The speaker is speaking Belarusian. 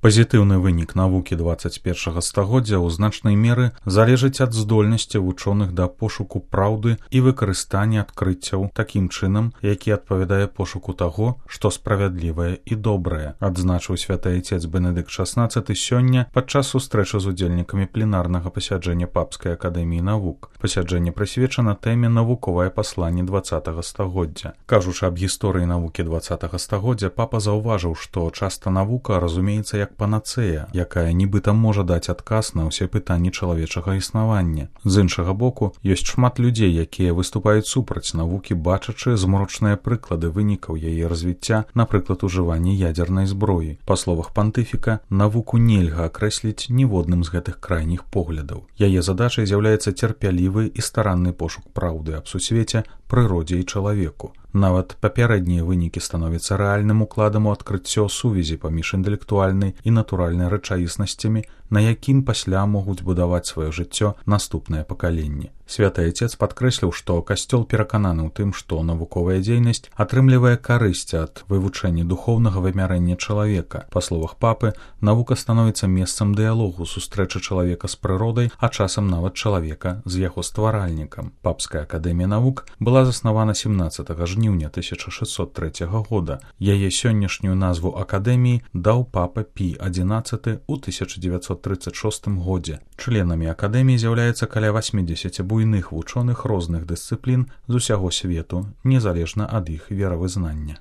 Пазітыўны вынік навукі 21 стагоддзя ў значнай меры залежыць ад здольнасці вучоных да пошуку праўды і выкарыстання адкрыццяў такім чынам, які адпавядае пошуку таго, што справядлівае і добрае, адзначыў святы айцец Бенедыкт XVI сёння падчас сустрэчы з удзельнікамі пленарнага пасяджэння Папскай акадэміі навук. Пасяджэнне прысвечана тэме навуковае пасланне 20 стагоддзя. Кажучы аб гісторыі навукі 20 стагоддзя, папа заўважыў, што часта навука разумеецца як панацэя, якая нібыта можа даць адказ на ўсе пытанні чалавечага існавання. З іншага боку, ёсць шмат людзей, якія выступаюць супраць навукі, бачачы змрочныя прыклады вынікаў яе развіцця, напрыклад, ужыванне ядзернай зброі. Па словах пантыфіка, навуку нельга акрэсліць ніводным з гэтых крайніх поглядаў. Яе задачай з'яўляецца цярпялівы і старанны пошук праўды аб сусвеце, прыродзе і чалавеку. Нават папярэднія вынікі становяцца рэальным укладам у адкрыццё сувязі паміж інтэлектуальнай і натуральнай рэчаіснасцямі, на якім пасля могуць будаваць сваё жыццё наступныя пакаленні. Святы айцец падкрэсліў, што касцёл перакананы ў тым, што навуковая дзейнасць атрымлівае карысць ад вывучэння духоўнага вымярэння чалавека. Па словах папы, навука становіцца месцам дыялогу, сустрэчы чалавека з прыродай, а часам нават чалавека з яго стваральнікам. Папская акадэмія навук была заснавана 17 жніўня 1603 года. Яе сённяшнюю назву акадэміі даў папа Пій XI ў 1936 годзе. Членамі акадэміі з'яўляецца каля 80 буйных вучоных розных дысцыплін з усяго свету, незалежна ад іх веравызнання.